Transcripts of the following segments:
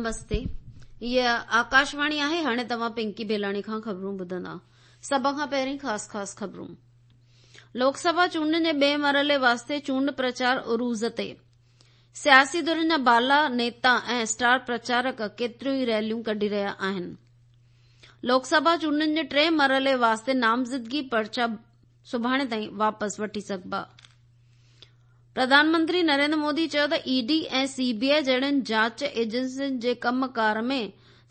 نمستي هيء آڪاشواڻي آهي هاڻي توهان پنڪي بيلاڻي کان خبرون ٻڌندا سڀ کان پهرين خاص خاص خبرون لوڪ سڀا چونڊن جي ٻئي مرحلي واسطي چونڊ پرچار عروج تي سياسي ڌرين جا بالا نيتا ۽ اسٽار پرچارڪ ڪيتريون ئي ريليون ڪڍي رهيا آهن لوڪ سڀا چونڊن جي ٽئين مرحلي واسطي نامزدگي پرچا سڀاڻي تائين واپس وٺي سگهبا. پرڌان منتري نريندر مودي چيو ته اي ڊي ۽ سي بي آء جهڙين جاچ ايجنسين جي ڪم ڪار ۾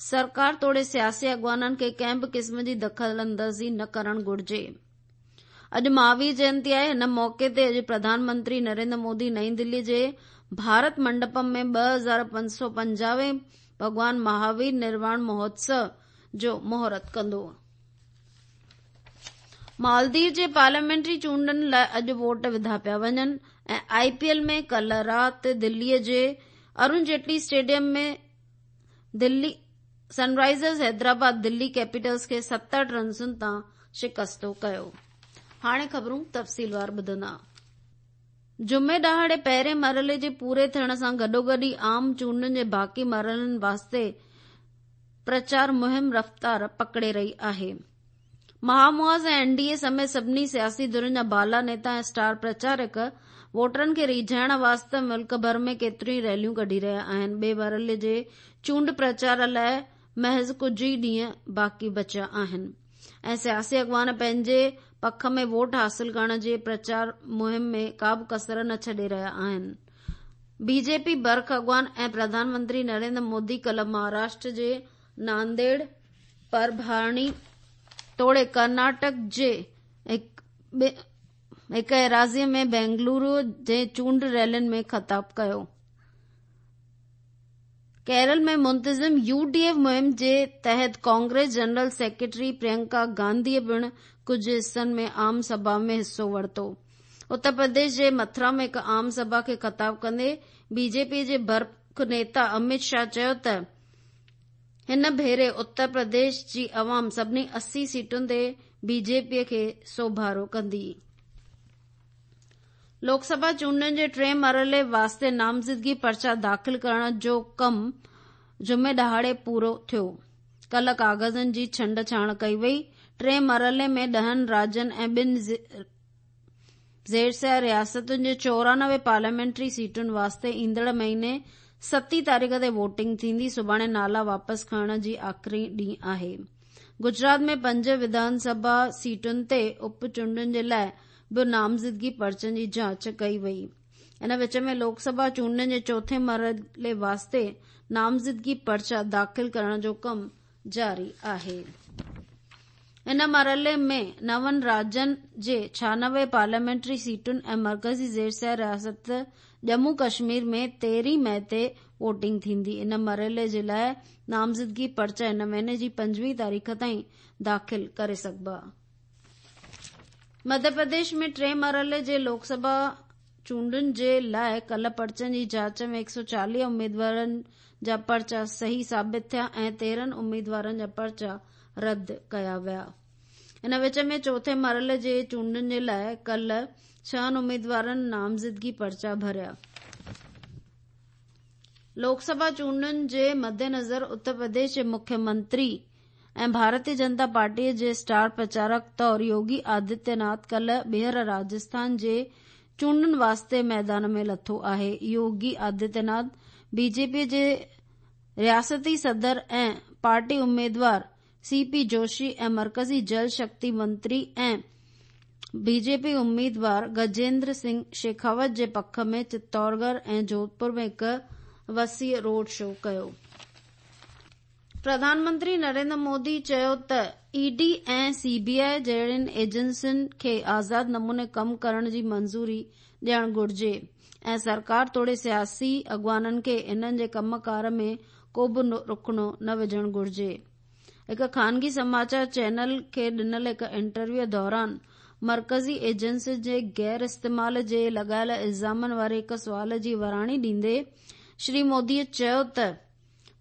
سرڪار توڙي سياسي اڳواڻن کي ڪنهن به قسم جي دخل اندازي نه ڪرڻ گهرجي. اڄ مهاوير جينتي آهي، ان موقعي تي اڄ پرڌان منتري نريندر مودي نئين دلي جي ڀارت منڊپم ۾ 2550 هين ڀڳوان مهاوير نرواڻ مهوتسو جو مهورت ڪندو. مالديپ جي پارليامينٽري چونڊن لاء اڄ ووٽ وڌا پيا وڃن ۽ آء پي ايل ۾ ڪلهه رات دلي جي ارون جيٽلي اسٽيڊيم ۾ دلي سن رائيزرز حيدرآباد دلي ڪيپيٽلز کي 70 رنسن تان شڪستو ڪيو. هاڻي خبرون تفصيلوار ٻڌندا. جمعي ڏهاڙي پهرين مرحلي جي پوري ٿيڻ سان گڏوگڏ ئي عام چونڊن جي باقي مرحلن واسطي پرچار مهم رفتار پڪڙي رهي آهي. مهامحاذ ۽ اين ڊي اي سميت سڀني سياسي ڌرين جا بالا نيتا ۽ اسٽار پرچارڪ ووٽرن کي ريجهائڻ واسطي ملڪ ڀر ۾ ڪيتريون ئي ريليون ڪڍي رهيا آهن. ٻئي مرحلي جي چونڊ پرچار لاء محض ڪجهه ئي ڏينهن باقي بچيا آهن. ۽ سياسي اڳواڻ پنهنجي پک ۾ ووٽ حاصل ڪرڻ جي پرچار مهم ۾ ڪا به ڪسر نه ڇڏي رهيا آهن. بي جي پي برک اڳواڻ ۽ پرڌان منتري نريندر مودي ڪلهه مهاراشٽر جي نانديڙ، پرڀاڻي توڙي ڪرناٽڪ جي هڪ ايراضي ۾ بينگلورو جي چونڊ ريلين ۾ خطاب ڪيو. ڪيرل ۾ منتظم يو ڊي ايف مهم جي تحت ڪانگريس جنرل سيڪريٽري پريانڪا گانڌيء پڻ ڪجهه حصن ۾ عام سڀا ۾ حصو ورتو. اتر پرديش جي مٿرا ۾ هڪ عام سڀا کي خطاب ڪندي بي جي پي جي برک نيتا اميت شاهه چيو ته هن ڀيري اتر پرديش جي عوام سڀني 80 سيٽن تي بي جي پي کي سوڀارو ڪندي. لوڪ سڀا چونڊن جي ٽئين مرحلي واسطي نامزدگي پرچا داخل ڪرڻ جو ڪم جمعي ڏهاڙي پورو ٿيو. ڪلهه ڪاغذن جي ڇنڊ ڇاڻ ڪئي وئي. ٽئين مرحلي ۾ ڏهن راڄين ۽ ٻن زيرسيا رياستن جي 94 پارليامينٽري سيٽن واسطي ايندڙ مهيني ستين تاريخ تي ووٽنگ ٿيندي. سڀاڻي نالا واپس کڻڻ جي آخري ڏينهن آهي. گجرات ۾ پنج وڌان سڀا سيٽن تي اپ چونڊن جي لاء به نامزدگي پرچن جي جاچ ڪئي وئي. ان وچ ۾ لوڪ سڀا چونڊن جي چوٿين مرحلي واسطي نامزدگي پرچا داخل ڪرڻ جو ڪم جاري آهي. ان مرحلي ۾ نون راڄن جي 96 پارليامينٽري سيٽن ۽ مرڪزي زيرسيا رياست ڄمون ڪشمير ۾ تيرهين مئي تي ووٽنگ ٿيندي. ان مرحلي جي لاء نامزدگي پرچا هن مهيني جي 25 تاريخ تائين داخل ڪري سگهبا. مڌيه پرديش ۾ ٽئين مرحلي جي لوڪ سڀا چونڊن جي لاء ڪلهه پرچن جي جاچ ۾ 140 اميدوارن جا پرچا صحيح ثابت ٿيا ۽ 13 اميدوارن جا پرچا رد ڪيا ويا. ان وچ ۾ چوٿين مرحلي جي چونڊن جي لاء ڪلهه ڇهن اميدوارن نامزدگي پرچا ڀريا. لوڪ سڀا چونڊن جي مدنظر اتر پرديش جي مکيه منتري ۽ ڀارتي جنتا پارٽيء جي اسٽار پرچارڪ طور يوگي آدتيه ناٿ ڪلهه ٻيهر راجسٿان جي چونڊن واسطي ميدان ۾ لٿو آهي. يوگي آدتيه ناٿ بي جي پي جي رياستي صدر ۽ پارٽي اميدوار سي پي جوشي ۽ مرڪزي جل شڪتي منتري ۽ بي جي پي اميدوار گجيندر سنگهه شيخاوت جي پک ۾ چتورڳڙهه ۽ جوڌپور ۾ هڪ وسيع روڊ شو ڪيو. پرڌان منتري نريندر مودي چيو ته اي ڊي ۽ سي بي آء جهڙين ايجنسين کي آزاد نموني ڪم ڪرڻ جي منظوري ڏيڻ گهرجي ۽ سرڪار توڙي سياسي اڳواڻن کي انهن جي ڪم ڪار ۾ ڪو به رخنو نه وجهڻ گهرجي. هڪ خانگي سماچار چينل کي ڏنل هڪ انٽرويوء دوران مرڪزي ايجنسين جي غير استعمال جي لڳايل الزامن واري هڪ سوال جي وراڻي ڏيندي شري مودي چيو ته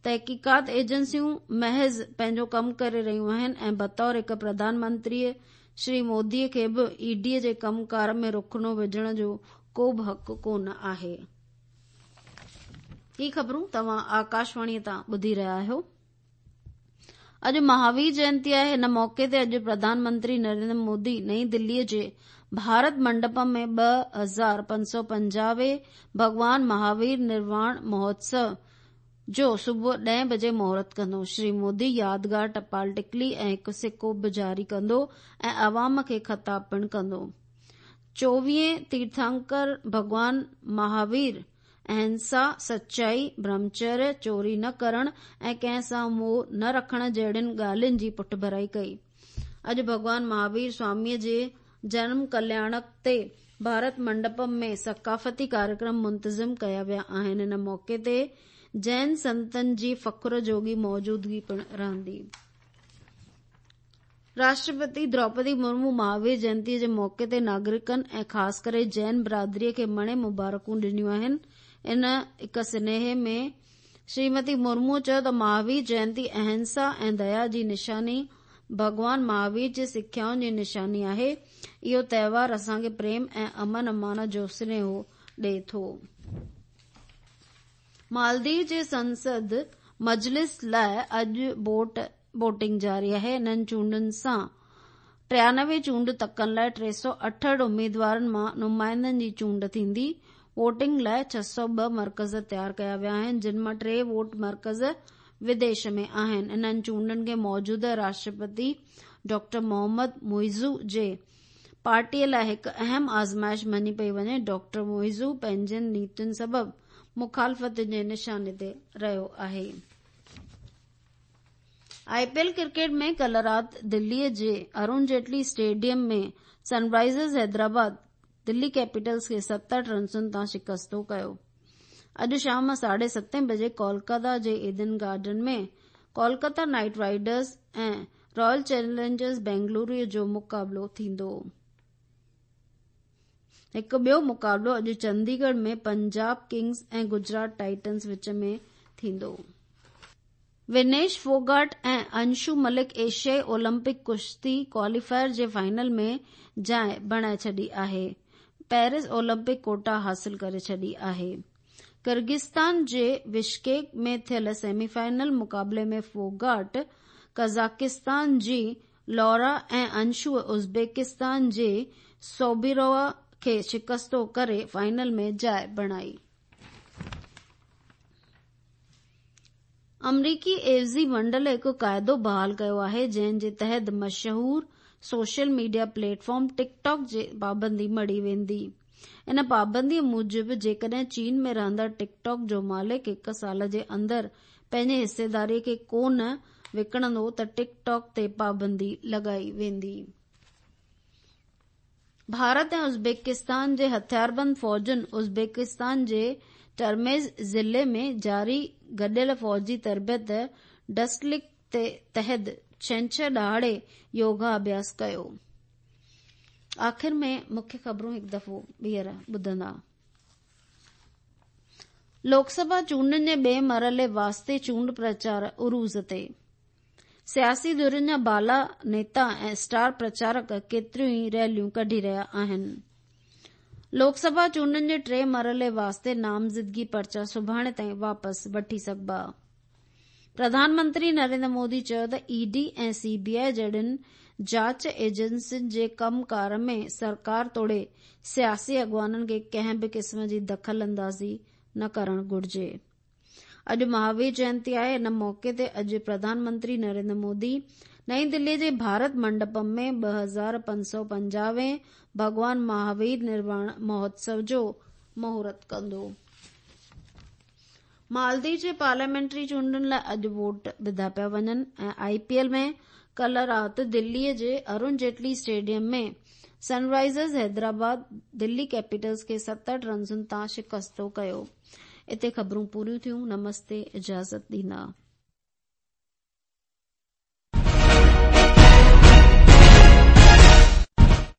تحقيقات ايجنسيون محض پنهنجو ڪم ڪري رهيون آهن ۽ بطور هڪ پرڌان منتري شري مودي کي به اي ڊي جي ڪم ڪار ۾ رخنو وجهڻ جو ڪو به حق ڪونه آهي. هي خبرون توهان آڪاشواڻيء تان ٻڌي رهيا آهيو. اڄ مهاوير جينتي آهي. هن موقعي تي اڄ پرڌان منتري نريندر مودي نئين دليء جي ڀارت منڊپم ۾ 2550 هين ڀڳوان مهاوير نرواڻ مهوتسو جو صبح ڏهين بجي مهورت ڪندو. شري مودي يادگار ٽپال ٽڪلي ۽ هڪ سڪو به جاري ڪندو ۽ عوام کي خطاب پڻ ڪندو. چوويهين تيرٿانڪر ڀڳوان مهاوير اهنسا، سچائي، برهمچريه، چوري نه ڪرڻ ۽ ڪنهن سان موهه نه رکڻ جهڙين ڳالهين جي پٺڀرائي ڪئي. اڄ ڀڳوان مهاوير سواميء جي جنم ڪلياڻڪ تي ڀارت منڊپم ۾ ثقافتي ڪاريڪرم منتظم ڪيا ويا آهن. ان موقعي تي جين سنتن جي فخر جوڳي موجودگي پڻ رهندي. راشٽرپتي دروپدي مرمو مهاوير جينتيء جي موقعي تي ناگرڪن ۽ خاص ڪري جين برادريء کي مڻي مبارڪون ڏنيون آهن. ان هڪ سنيهي ۾ شريمتي مرموء چيو ته مهاوير جينتي اهنسا ۽ ديا جي نشاني ڀڳوان مهاوير جي سکيائن جي نشاني آهي. اهو تهوار اسان کي پريم ۽ امن امان جو سنيهو ڏئي ٿو. مالديپ جي سنسد مجلس لاء اڄ ووٽ ووٽنگ جاري آهي. انهن چونڊن سان 93 چونڊ تڪن لاء 368 اميدوارن مان نمائندن جي چونڊ ٿيندي. ووٽنگ لاء 602 مرڪز تيار ڪيا ويا آهن، جن مان ٽي ووٽ مرڪز وديش ۾ آهن. انهن چونڊن کي موجوده راشٽرپتي ڊاڪٽر محمد معيزو جي پارٽيء لاء هڪ اهم آزمائش مڃي پئي وڃي. ڊاڪٽر معيزو پنهنجين نيتين سبب مخالفتن جي نشاني تي رهيو آهي. آء پي ايل ڪرڪيٽ ۾ ڪلهه رات دلي جي Arun Jaitley stadium ۾ Sunrisers Hyderabad Delhi Capitals کي 67 رنسن تان شڪستو ڪيو. اڄ شام ساڍي ستين بجي ڪولڪتا جي Eden Garden ۾ Kolkata Knight Riders ۽ Royal Challengers Bengaluru جو مقابلو ٿيندو. هڪ ٻيو مقابلو اڄ چنديڳڙهه ۾ پنجاب ڪنگز ۽ گجرات ٽائٽنز وچ ۾ ٿيندو. ونيش ڦوگاٽ ۽ انشو ملڪ ايشيائي اولمپڪ ڪشتي ڪواليفائر جي فائنل ۾ جاء بڻائي ڇڏي آهي، پيرس اولمپڪ ڪوٽا حاصل ڪري ڇڏي آهي. ڪرغستان جي بشڪيڪ ۾ ٿيل سيمي فائنل مقابلي ۾ ڦوگاٽ قزاقستان جي لورا ۽ انشوء ازبڪستان جي سوبيرووا کي شڪستو ڪري فائنل ۾ جاء بڻائي. آمريڪي عيوضي منڊل هڪ قاعدو بحال ڪيو آهي جنهن جي تحت مشهور social media platform TikTok جي پابندي مڙهي ويندي. ان پابندي موجب جيڪڏهن چين ۾ رهندڙ ٽڪ ٽاڪ جو مالڪ هڪ سال جي اندر پنهنجي حصيداري کي ڪونه وڪڻندو ته ٽڪ ٽاڪ تي پابندي لڳائي ويندي. ڀارت ۽ ازبڪستان جي هٿياربند فوجن ازبڪستان جي ٽرميز ضلعي ۾ جاري گڏيل فوجي تربيت ڊسٽلڪ تحت ڇنڇر ڏهاڙي يوگا اڀياس ڪيو. آخر ۾ مکيه خبرون هڪ دفعو ٻيهر ٻڌندا. لوڪ سڀا چونڊن جي ٻئي مرحلي واسطي چونڊ پرچار عروج تي. سياسي ڌرين جا بالا نيتا ۽ اسٽار پرچارڪ ڪيتريون ئي ريليون ڪڍي رهيا آهن. لوڪ سڀا چونڊن جي ٽئين مرحلي واسطي نامزدگي پرچا سڀاڻي تائين واپس وٺي سگهبا. پرڌان منتري نريندر مودي چيو ته اي ڊي ۽ سي بي آء جهڙين جاچ ايجنسين جي ڪم ڪار ۾ سرڪار توڙي سياسي اڳواڻن کي ڪنهن به قسم جي دخل اندازي نه ڪرڻ گهرجي. اڄ مهاوير جينتي آهي، ان موقعي تي اڄ پرڌان منتري نريندر مودي نئين دلي جي ڀارت منڊپم ۾ 2550 هين ڀڳوان مهاوير نرواڻ مهوتسو جو مهورت ڪندو. مالديپ جي پارليامينٽري چونڊن لاء اڄ ووٽ وڌا پيا وڃن ۽ آء پي ايل ۾ ڪلهه رات دلي جي Arun Jaitley stadium ۾ Sunrisers Hyderabad Delhi Capitals کي 67 رنسن تان شڪستو ڪيو. اتي خبرون پوريون ٿيون. نمستي اجازت ڏيندا.